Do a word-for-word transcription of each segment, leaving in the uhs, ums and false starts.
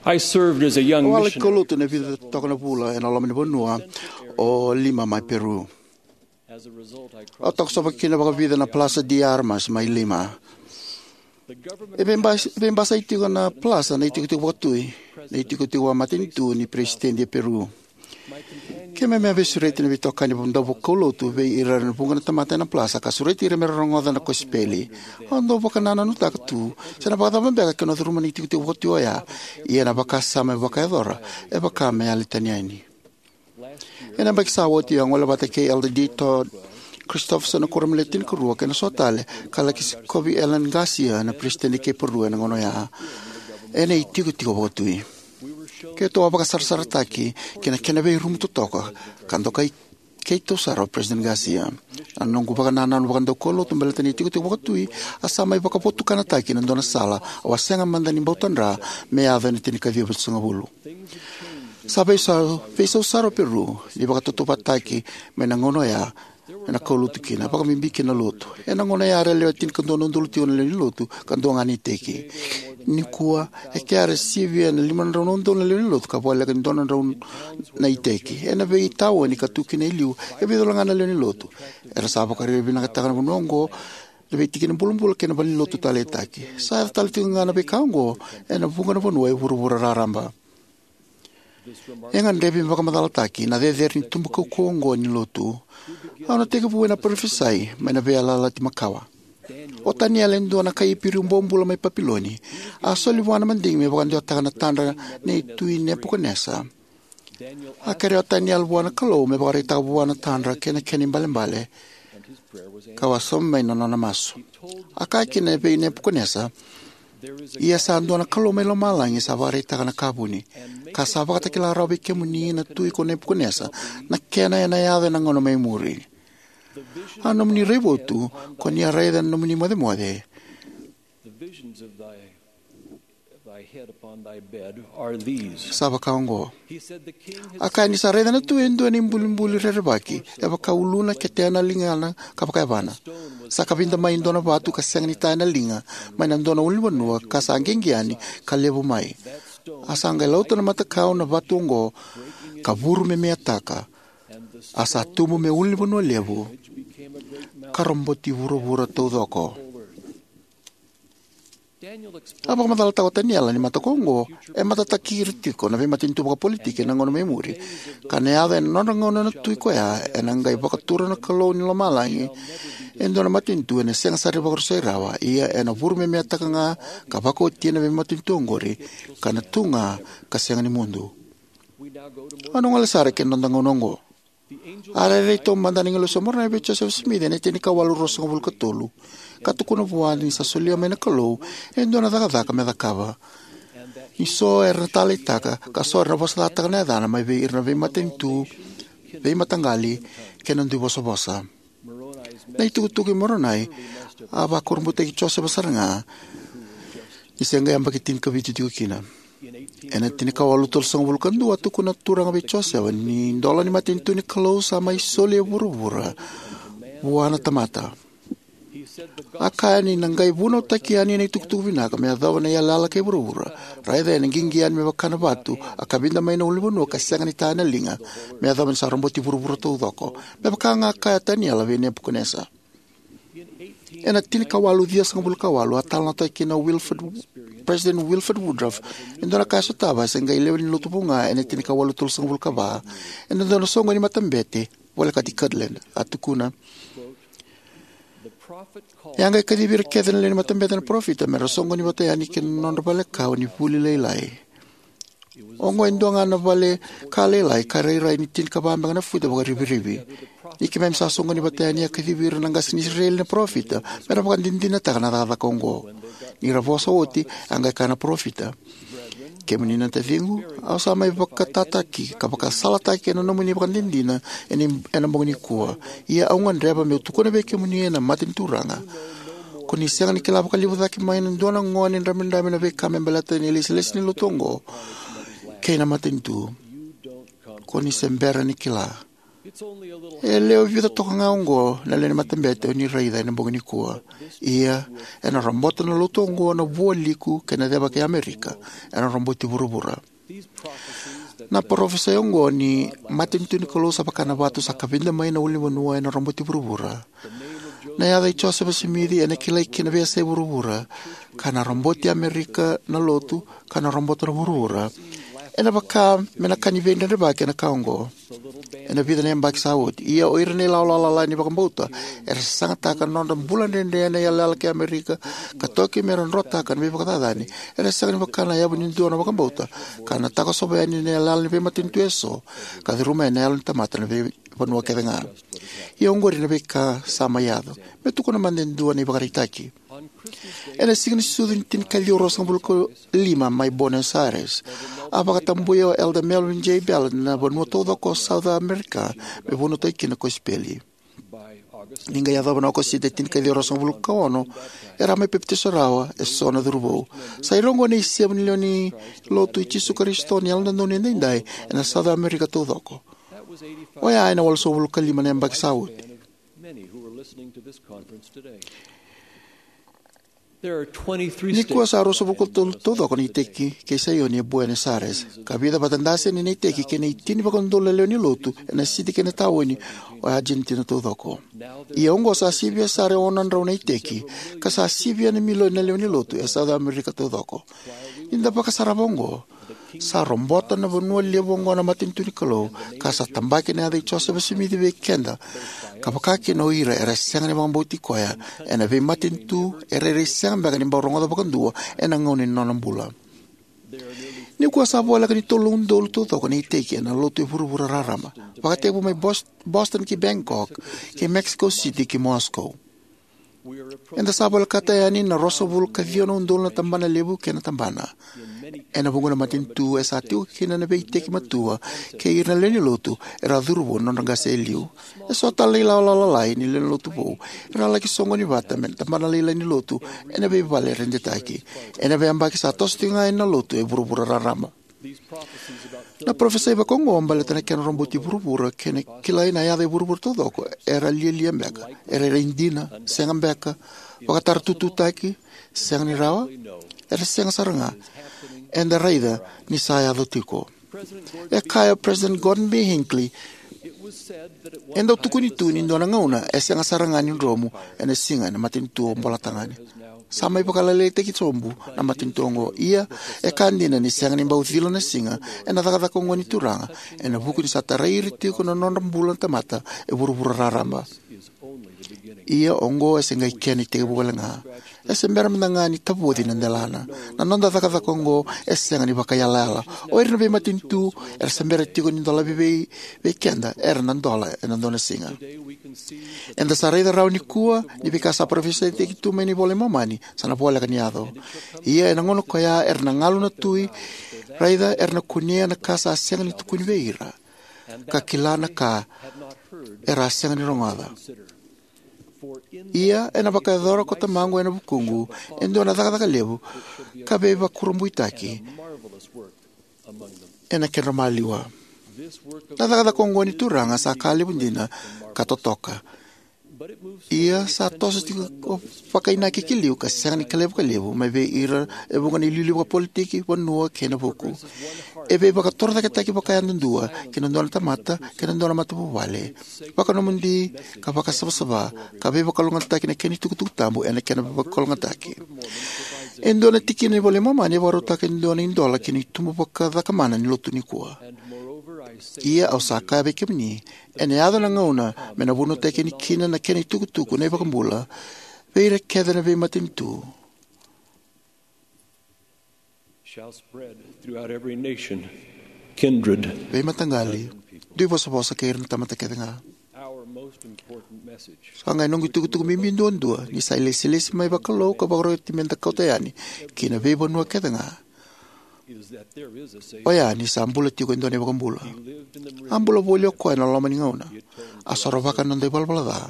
I served as a young Au a laki missionary kaulotu na vica toka na vula ena loma ni vanua o Lima mai Peru. Au a takosova kina vakavica na Plaza de Armas mai Lima. E veibas- veibasai tiko na plaza na itikotiko vakatui, na itikotiko vakamatanitu ni peresitedi e Peru. Keimami a veisureti na veitokani daukaulotu vei ira na vuqa na tamata ena plaza ka sureti ira me ra rogoca na kosipeli. Au dau vakanananutaka tu se na vakacava beka ke na curuma na itikotiko vakatui oya, ia na vakasama e vakayacora e vaka me yali tani yani. Ena yabaki sa oti au a gole vata kei Elder D. Todd Christofferson na Kuoramu Le Tinikarua kei na so tale, ka laki sikovi Alan Garcia na peresitedi kei Peru ena gauna oya, ena itikotiko vakatui. Keitou a vakasarasarataki ki na kena veirumu totoka ka dokai keitou sara o Peresitedi Garcia. Na noqu vakanananu vakadaukaulotu baleta na itikotiko vakatui a sa mai vakavotukanataki ena dua na sala au a sega mada ni bau tadra me yaco ena tinikaciwa vitusagavulu. Sa veisau, veisau sara o Peru ni vakatautauvatataki mai na gauna oya ena kaulotu kina, vakabibi kina na lotu. Ena gauna oya era lewe tinikadua na udolu tiko na lewe ni lotu ka dua ga na iteki. Nikua, e kea era sivia na lima na drau na udolu na lewe ni lotu ka voleka ni dua na drau na iteki. Ena veitaoni ka tu kina e liu, e vica wale ga na lewe ni lotu. Era sa vakaraitaka vinakataka na vanua oqo na veitikina bulabula kei na valenilotu taleitaki. Sa yaco tale tiko ga na veika oqo ena vuqa na vanua e vuravura raraba. E gadrevi me vakamacalataki na cecere ni tubu kaukauwa oqo ni lotu. Au na tekivu ena parofisai mai na Veiyalayalati Makawa. O Taniela, e dua na kai Iperiu bobula mai Papiloni, a soli vua na madigi me vakadewataka na tadra nei Tui Nepukanesa. A kerea o Taniela vua na Kalou me vakaraitaka vua na tadra kei na kena ibalebale, ka wasoma mai na nona masu. A kaya kina vei Nepukanesa, "Ia sa dua na Kalou mai lomalagi sa vakaraitaka na ka vuni, ka sa vakatakila rawa vei kemuni na tui ko Nepukanesa na kena ena yaco ena gauna mai muri. A nomuni raivotu ko ni a raica ena nomuni mocemoce, sa vaka oqo." A kaya ni sa raica na tui e dua na ibulibuli rerevaki e vaka uluna, ketena, ligana ka vakayavana. Sa kavida mai e dua na vatu ka sega ni taya na liga mai na dua na ulunivanua ka sa qiqi yani ka levu mai. A sa qai lauta na matakau na vatu oqo ka vuru me meataka. A sa tubu me ulunivanua levu ka roboti vuravura taucoko. A vakamacalataka o Taniela ni mataka oqo e matataki ira tiko na veimatanitu vakapolitiki ena gauna mai muri, ka na yaco ena nodra gauna na tui koya ena qai vakatura na Kalou ni lomalagi e dua na matanitu ena sega sara ni vakarusai rawa, ia ena vuru me meataka ga ka vakaotia na veimatanitu oqori, ka na tu ga ka sega ni mudu. Au na gole sara ki na noda gauna oqo. A rairai taumada na agilosi o Moronai vei Josefa Simici ena tinikawalu ruasagavulu ka tolu, ka tukuna vua ni sa solia mai na Kalou e dua na cakacaka me cakava, ni so era na taleitaka ka so era na vosacataka na yacana mai vei ira na veimatanitu, veimataqali kei na dui vosavosa. Na itukutuku i Moronai a vakurabuitaki Josefa sara ga, ni se qai yabaki tinikavitu tiko kina. Ena tinikawalu tolusagavulu ka dua, a tukuna na Turaga vei Josefa ni idola ni matanitu ni Kalou sa mai soli e vuravura vua na tamata. A kaya ni na qai vunautaki yani na itukutuku vinaka me yacova na iyalayala kei vuravura. Raica, ena qiqi yani me vaka na vatu a kavida mai na ulunivanua ka sega ni taya na liga, me yacova ni sa roboti vuravura taucoko, me vaka ga a kaya o Taniela vei Nepukanesa. Ena tinikawalu ciwasagavulu ka walu, a talanoataki kina o Wilford, President Wilford Woodruff e dua na ka e sotava e se qai lewe ni lotu vou ga ena tinikawalu tolusagavulu ka va, ena dua na soqoni ni matabete volekati Kirtland. A tukuna, "E a qai kacivi ira kece na lewe ni matabete na parofita me ra soqoni vata yani ki na nodra vale kawa ni vuli lailai. Oqo e dua ga na vale ka lailai ka rairai ni tinikava beka na futa vakarivirivi. Ni keimami sa soqoni vata yani, a kacivi ira na qase ni Isireli na parofita me ra vakadinadinataka na cakacaka oqo. Ni ra vosa oti, a qai kaya na parofita, 'Kemuni na taciqu, au sa mai vakatataki ka vakasalataki ena nomuni vakadinadina ena, ena bogi nikua. Ia au gadreva meu tukuna vei kemuni ena mata ni Turaga, ko ni sega ni kila vakalevu cake mai na dua na gone dramidrami na veika me baleta na ilesilesi ni lotu oqo kei na matanitu. Ko ni se bera ni kila. E lewe vica toka ga oqo na lewe ni matabete o ni raica ena bogi nikua. Ia, ena robota na lotu oqo na vualiku kei na ceva kei Amerika. Ena roboti vuravura. Na parofisai oqo ni matanitu ni Kalou sa vaka na vatu sa kavida mai na ulunivanua ena roboti vuravura. Na yaca i Josefa Simici ena kilai ki na veiyasai vuravura, ka na roboti Amerika na lotu, ka na robota na vuravura. Ena vaka me na ka ni veidredrevaki ena ka oqo. Ena vica na yabaki sa oti, ia o ira na ilawalawa lalai ni vakabauta era sasagataka na nodra bula dredre ena iyalayala kei Amerika, ka toki me ra drotaka na veivakacacani, era sega ni vaka na yavu ni dua na vakabauta, ka na takosova yani na iyalayala ni veimatanitu eso, ka curuma yani na yalo ni tamata na veivanua kece ga. Ia oqori na veika sa mai yaco. Me tukuna mada e dua na ivakaraitaki. Ena siga ni sucu ni tinikaciwa ruasagavulu ka lima mai Buenos Aires, a vakatabuya o Elder Melvin J. Ballard na vanua taucoko o South America me vunautaki kina na kosipeli. Ni qai yacova na Okosita e tinikaciwa ruasagavulu ka ono, era a mai papitaiso rawa eso na curuvou. Sa ira oqo na isevu ni lewe ni lotu i Jisu Karisito ni Yalododonu Edaidai ena South America taucoko. Oya ena walusagavulu ka lima na yabaki sa oti. Nikua sa ruasagavulu ka tolu taucoko na iteki kei Saioni e Buenos Aires, ka vica vata daseni na iteki kei na itini vakaudolu na lewe ni lotu ena siti kei na taoni o Argentina taucoko. Ia oqo sa sivia sara e ono na drau na iteki, ka sa sivia na milioni na lewe ni lotu e South America taucoko. Ni da vakasarava oqo, sa robota na vanua levu oqo na matanitu ni Kalou, ka sa tabaki na yaca i Josefa Simici vei keda, ka vaka kina o ira era sega ni vakabauti koya, ena veimatanitu e rairai sega beka ni bau rogoca vakadua ena gauna ni nona bula. Nikua sa voleka ni tolu na udolu taucoko na iteki ena lotu e vuravura raraba, vakatekivu mai Bos-, Boston ki Bangkok, ki Mexico City ki Moscow. Eda sa volekata yani na ruasagavulu ka ciwa na udolu na tabana levu kei na tabana. Ena vuqa na matanitu e sa tiko kina na veiteki matua kei ira na lewe ni lotu era a curuvou na nodra qase e liu. Eso tale na ilawalawa lalai ni lewe ni lotu vou era a laki soqoni vata me na tabana lailai ni lotu ena veivale redetaki. Ena veiyabaki sa toso tiko ga yani na lotu e vuravura raraba. Na parofisai vakaoqo baleta na kena roboti vuravura kei na kilai na yaca e vuravura taucoko era lialia beka, era rairai dina, sega beka, vakatarotututaki, sega ni rawa, era sega sara ga. Eda raica ni sa yaco tiko. E kaya o President Gordon B. Hinckley, e dau tukuni tu ni dua na gauna e sega sara ga ni dromu ena siga ena matanitu o Bolatagane. Sa mai vakalailaitaki sobu na matanitu oqo. Ia, e ka dina ni sega ni bau cila na siga ena cakacaka oqo ni Turaga, ena vuku ni sa tarai ira tiko na nodra bula na tamata e vuravura raraba. Ia oqo e se qai kena itekivu wale ga. E se bera mada ga ni tavoci na delana. Na noda cakacaka oqo e sega ni vakaiyalayala. O ira na veimatanitu era se bera tiko ni dolavi vei, vei keda era na dola ena dua na siga. Eda sa raica rawa nikua ni veika sa parofisaitaki tu mai na iVola i Momani sa na voleka ni yaco. Ia ena gauna koya era na galu na tui, raica era na kunea na ka sa sega ni tukuni vei ira, ka kila na ka era a sega ni rogoca. Ia ena vakayacora ko Tamaqu ena vukuqu e dua na cakacaka levu ka veivakurabuitaki ena kedra maliwa. Na cakacaka oqo ni Turaga sa ka levu dina ka totoka. Ia sa toso tiko vakainaki ki liu ka sega ni kilai vakalevu mai vei ira e vuqa na iliuliu vakapolitiki, vanua kei na vuku. E veivakatorocaketaki vakayadudua ki na dua na tamata kei na dua na matavuvale. Vakanomodi ka vakasavasava ka veivakalougatataki na kena itukutuku tabu ena kena veivakalougatataki. E dua na tikina ni iVola i Momani e vakarautaka e dua na idola ki na itubu vakacakamana ni lotu nikua. Ia au sa kaya vei kemuni, ena yaco na gauna me na vunautaki yani kina na kena itukutuku na iVakabula vei ira kece na veimatanitu, shall spread throughout every nation, kindred, veimataqali, duivosavosa kei ira na tamata kece ga. Our most important message. Sa qai noqu itukutuku bibi duadua ni sa ilesilesi mai vakalou ka vakaroti me da kauta yani ki na veivanua kece ga. Oya ni sa bula tiko e dua na iVakabula. A bula voli o koya ena loma ni gauna. A sorovaka na noda ivalavala ca,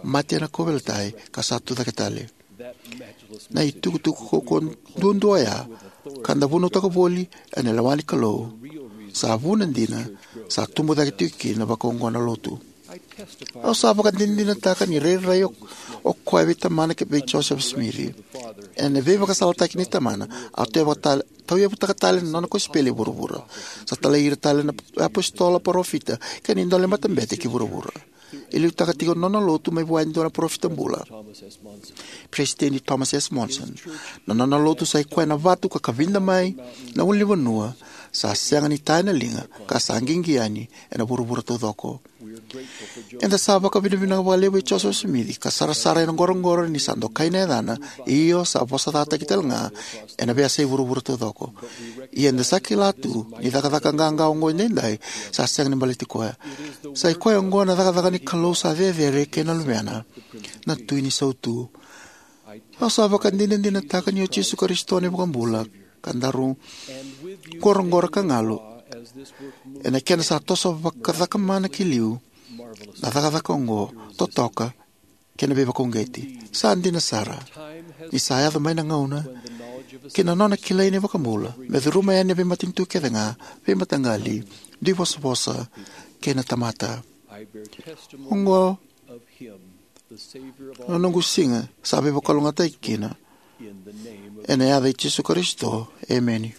mate ena kauveilatai, ka sa tucake tale. Na itukutuku kaukaua duadua oya, ka da vunautaka voli ena lewa ni Kalou, Sa vuna dina, sa tubu cake tiko kina vakaoqo na Lotu. Au sa vakadinadinataka ni rairai o, o koya vei Tamana kei vei Josefa Simici. Ena veivakasalataki nei Tamana, a tauyavutaka tale, tauyavutaka tale na nona kosipeli e vuravura. Sa talai ira tale na apositolo, parofita, kei na idola ni matabete ki vuravura. E liutaka tiko na nona Lotu mai vua e dua na parofita bula, Peresitedi Thomas S. Monson. Na nona Lotu sa i koya na vatu ka kavida mai na ulunivanua, sa sega ni ta ena liga, ka sa qiqi yani ena vuravura taucoko. Eda sa vakavinavinaka vakalevu vei Josefa Simici, ka sarasara ena qoroqoro ni sa dokai na yacana, io sa vosacataki tale ga ena veiyasai vuravura taucoko. Ia eda sa kila tu ni cakacaka qaqa oqo edaidai sa sega ni baleti koya. Sa i koya oqo na cakacaka ni Kalou sa cecere kei na Luvena, na Tui ni Sautu. Au sa vakadinadinataka ni o Jisu Karisito na iVakabula, ka daru qoroqoro ka galu ena kena sa toso vakacakamana ki liu na cakacaka oqo, totoka kei na veivakauqeti. Sa dina sara ni sa yaco mai na gauna ki na nona kilai na iVakabula me curuma yani na veimatanitu kece ga, veimataqali, duivosavosa, kei na tamata. Oqo na noqu siga sa veivakalougatataki kina. Ena yaca i Jisu Karisito, emeni.